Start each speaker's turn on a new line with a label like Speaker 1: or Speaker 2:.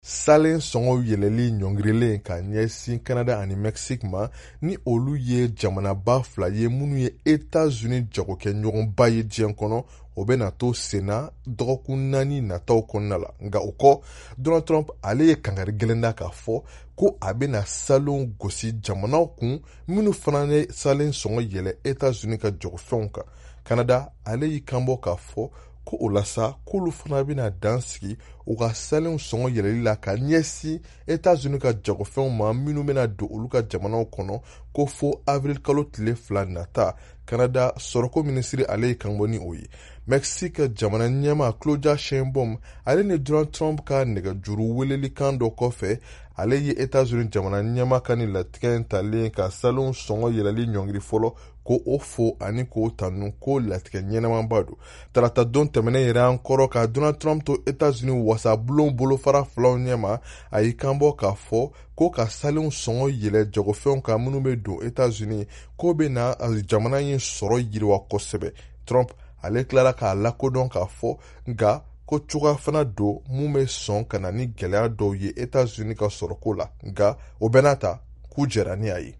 Speaker 1: Salen sɔngɔw yɛlɛli ɲɔngirilen ka ɲɛsin Canada ani Mexique ma, ni olu ye jamanaba fila ye minnu ye Etats-Unis jagokɛɲɔgɔnba ye diɲɛ kɔnɔ, o bɛna to senna dɔgɔkun 4 nataw kɔnɔna la. Nka o kɔ, Donald Trump ale ye kankari gɛlɛn da k'a fɔ ko a bɛna salenw gosi jamanaw kun minnu fana ye salen sɔngɔ yɛlɛ Etats-Unis ka jagofɛnw kan. Canada ale y'i kanbɔ k'a fɔ ko o la sa, k'olu fana bɛna dan sigi u ka salenw sɔngɔ yɛlɛli la ka ɲɛsin Etats-Unis ka jagofɛnw ma minnu bɛna don olu ka jamanaw kɔnɔ, ko fo avril kalo tile 2 nata. Canada sɔrɔko minisiri ale ye kanbɔ ni o ye. Mexique jamana ɲɛmaa Claudia Sheinbaum ale ni Donald Trump ka nɛgɛjuru welelikan dɔ kɔfɛ, ale ye Etats-Unis jamana ɲɛmaa ka nin latigɛ in talen ka salenw sɔngɔ yɛlɛli ɲɔngiri fɔlɔ, ko o fo ani k'o tanu, ko latigɛ ɲɛnamaba don. Tarata don tɛmɛnen yɛrɛ an kɔrɔ, ka Donald Trump to Etats-Unis wasabulon bolofara filaw ɲɛma, a y'i kanbɔ k'a fɔ ko ka salenw sɔngɔ yɛlɛ jagofɛnw kan minnu bɛ don Etats-Unis, k'o bɛ na jamana in sɔrɔ yiriwa kosɛbɛ. Trump ale tilara k'a lakodɔn k'a fɔ nka ko cogoya fana don mun bɛ sɔn ka na ni gɛlɛya dɔw ye Etats-Unis ka sɔrɔko la, nka o bɛɛ n'a ta k'u jɛra ni a ye.